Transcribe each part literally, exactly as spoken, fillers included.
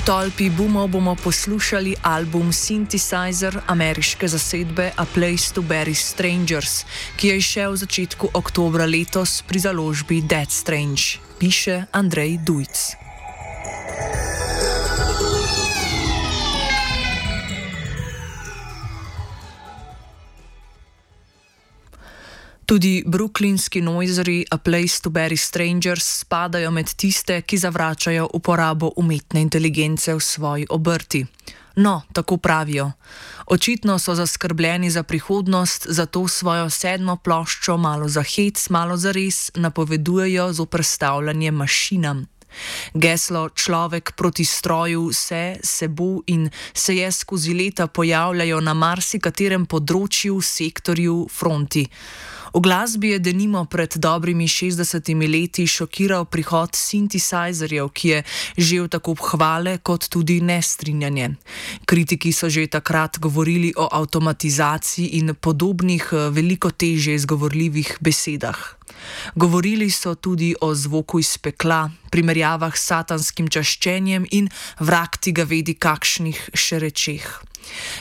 tolpi boomov bomo poslušali album Synthesizer ameriške zasedbe A Place to Bury Strangers, ki je izšel v začetku oktobra letos pri založbi Dead Strange, piše Andrej Dujc. Tudi brooklynski noizeri A Place to Bury Strangers spadajo med tiste, ki zavračajo uporabo umetne inteligence v svoji obrti. No, tako pravijo. Očitno so zaskrbljeni za prihodnost, zato svojo sedmo ploščo malo za hec, malo za res napovedujejo z uprstavljanjem mašinam. Geslo človek proti stroju se, se bo in se je skozi leta pojavljajo na marsikaterem področju, sektorju, fronti. V glasbi je denimo pred dobrimi šestdesetimi leti šokiral prihod synthesizerjev, ki je žel tako hvale kot tudi nestrinjanje. Kritiki so že takrat govorili o avtomatizaciji in podobnih veliko težje izgovorljivih besedah. Govorili so tudi o zvoku iz pekla, primerjavah s satanskim čaščenjem in vrag ti ga vedi kakšnih še rečeh.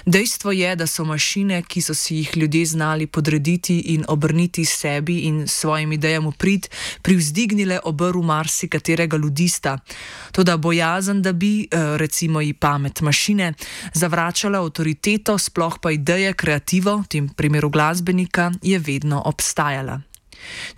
Dejstvo je, da so mašine, ki so si jih ljudje znali podrediti in obrniti sebi in svojim idejam v prid, privzdignile obrv marsikaterega ludista. Toda bojazen, da bi, recimo i pamet mašine, zavračala avtoriteto, sploh pa ideje, kreativo, v tem primeru glasbenika, je vedno obstajala.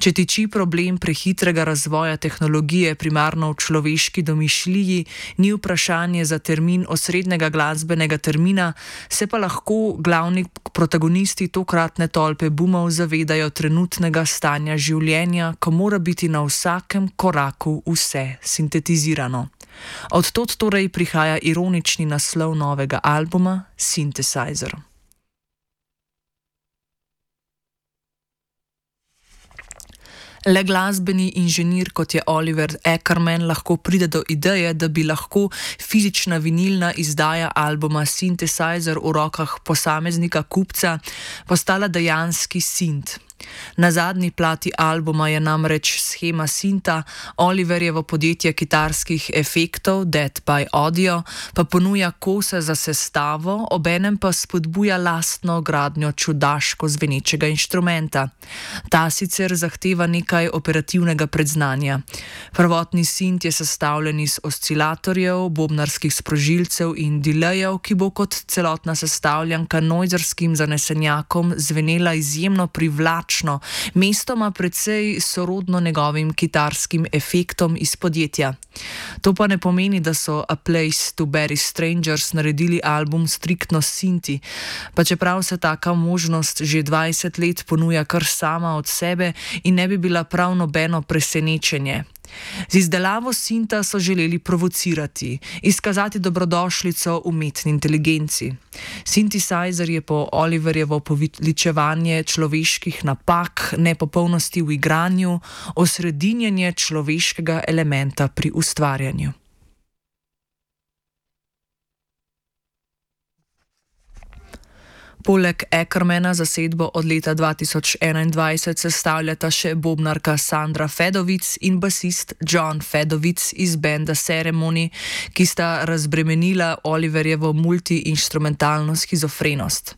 Če tiči problem prehitrega razvoja tehnologije primarno v človeški domišljiji, ni vprašanje za termin osrednjega glasbenega termina, se pa lahko glavni protagonisti tokratne tolpe boomov zavedajo trenutnega stanja življenja, ko mora biti na vsakem koraku vse sintetizirano. Od tod torej prihaja ironični naslov novega albuma Synthesizer. Le glasbeni inženir, kot je Oliver Ackerman, lahko pride do ideje, da bi lahko fizična vinilna izdaja albuma Synthesizer v rokah posameznika kupca postala dejanski synth. Na zadnji plati albuma je namreč shema synta, Oliverjevo podjetje kitarskih efektov Dead by Audio pa ponuja kose za sestavo, obenem pa spodbuja lastno gradnjo čudaško zvenečega inštrumenta. Ta sicer zahteva nekaj operativnega predznanja. Prvotni synth je sestavljen iz oscilatorjev, bobnarskih sprožilcev in delajev, ki bo kot celotna sestavljanka noizerskim zanesenjakom zvenela izjemno privlačno, mestoma precej sorodno njegovim kitarskim efektom iz podjetja. To pa ne pomeni, da so A Place to Bury Strangers naredili album striktno s synthi, pa čeprav se taka možnost že dvajset let ponuja kar sama od sebe in ne bi bila prav nobeno presenečenje. Z izdelavo synta so želeli provocirati, izkazati dobrodošlico umetni inteligenci. Synthesizer je po Oliverjevo poveličevanje človeških napak, nepopolnosti v igranju, osredinjenje človeškega elementa pri ustvarjanju. Poleg Ackermana zasedbo od leta dva tisoč enaindvajset sestavljata še bobnarka Sandra Fedovic in basist John Fedovic iz benda Ceremony, ki sta razbremenila Oliverjevo multi-inštrumentalno shizofrenost.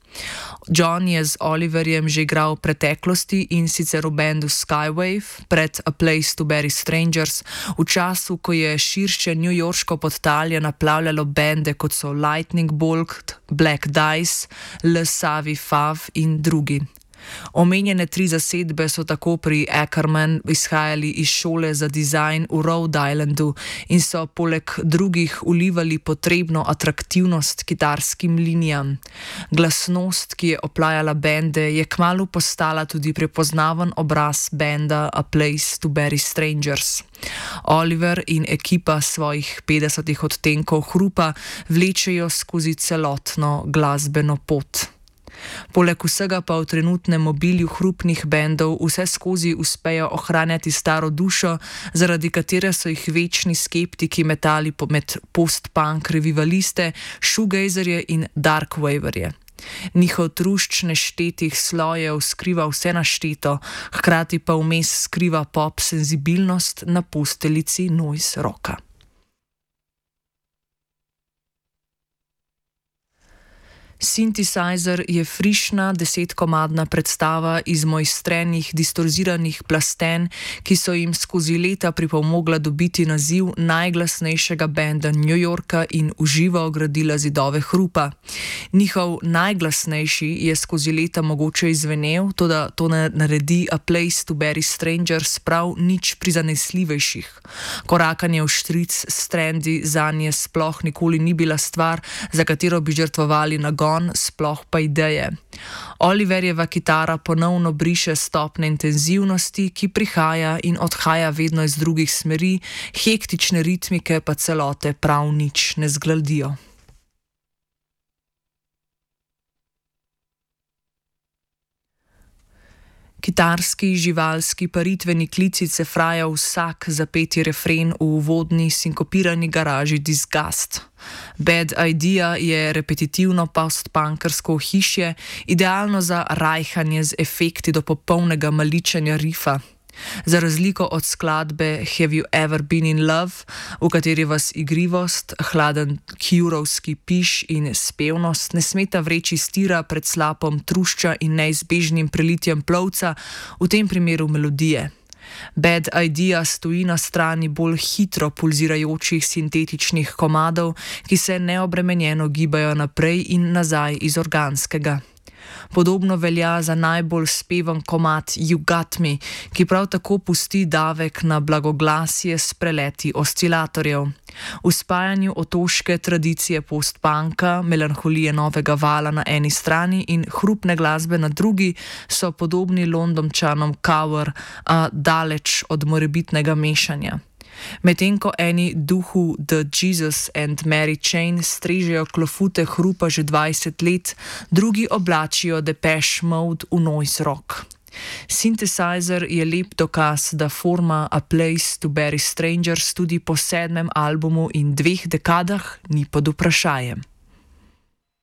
John je z Oliverjem že igral v preteklosti in sicer v bendu Skywave pred A Place to Bury Strangers, v času, ko je širše newyorško podtalje naplavljalo bende kot so Lightning Bolt, Black Dice, Le Savi Fav in drugi. Omenjene tri zasedbe so tako pri Ackerman izhajali iz šole za dizajn v Rhode Islandu in so poleg drugih vlivali potrebno atraktivnost kitarskim linijam. Glasnost, ki je oplajala bende, je kmalu postala tudi prepoznaven obraz benda A Place to Bury Strangers. Oliver in ekipa svojih petdesetih odtenkov hrupa vlečejo skozi celotno glasbeno pot. Poleg vsega pa v trenutnem mobilju hrupnih bendov vse skozi uspejo ohranjati staro dušo, zaradi katere so jih večni skeptiki metali med post-punk revivaliste, shoegazerje in darkwaverje. Njihov trušč neštetih slojev skriva vse našteto, hkrati pa vmes skriva pop senzibilnost na posteljici noise rocka. Synthesizer je frišna desetkomadna predstava iz mojstrenih distorziranih plasten, ki so jim skozi leta pripomogla dobiti naziv najglasnejšega benda New Yorka in v živo ogradila zidove hrupa. Njihov najglasnejši je skozi leta mogoče izvenel, toda to ne naredi A Place to Bury Strangers prav nič prizanesljivejših. Korakanje v štric s trendi zanje sploh nikoli ni bila stvar, za katero bi žrtvovali nagon, sploh pa ideje. Oliverjeva kitara ponovno briše stopne intenzivnosti, ki prihaja in odhaja vedno iz drugih smeri, hektične ritmike pa celote prav nič ne zgladijo. Kitarski, živalski, paritveni klici cefraja vsak zapeti refren v uvodni sinkopirani garaži Disgust. Bad Idea je repetitivno postpunkersko ohišje, idealno za rajhanje z efekti do popolnega maličenja rifa. Za razliko od skladbe Have You Ever Been in Love, v kateri vas igrivost, hladen Curovski piš in spevnost ne smeta vreči stira pred slapom trušča in neizbežnim prelitjem plovca, v tem primeru melodije. Bad Idea stoji na strani bolj hitro pulzirajočih sintetičnih komadov, ki se neobremenjeno gibajo naprej in nazaj iz organskega. Podobno velja za najbolj spevan komad You Got Me, ki prav tako pusti davek na blagoglasje s preleti oscilatorjev. V spajanju otoške tradicije postpunka, melanholije novega vala na eni strani in hrupne glasbe na drugi so podobni Londončanom Cover, a daleč od morebitnega mešanja. Medtem ko eni duhu The Jesus and Mary Chain strežejo klofute hrupa že dvajset let, drugi oblačijo Depeche Mode v noise rock. Synthesizer je lep dokaz, da forma A Place to Bury Strangers tudi po sedmem albumu in dveh dekadah ni pod vprašajem.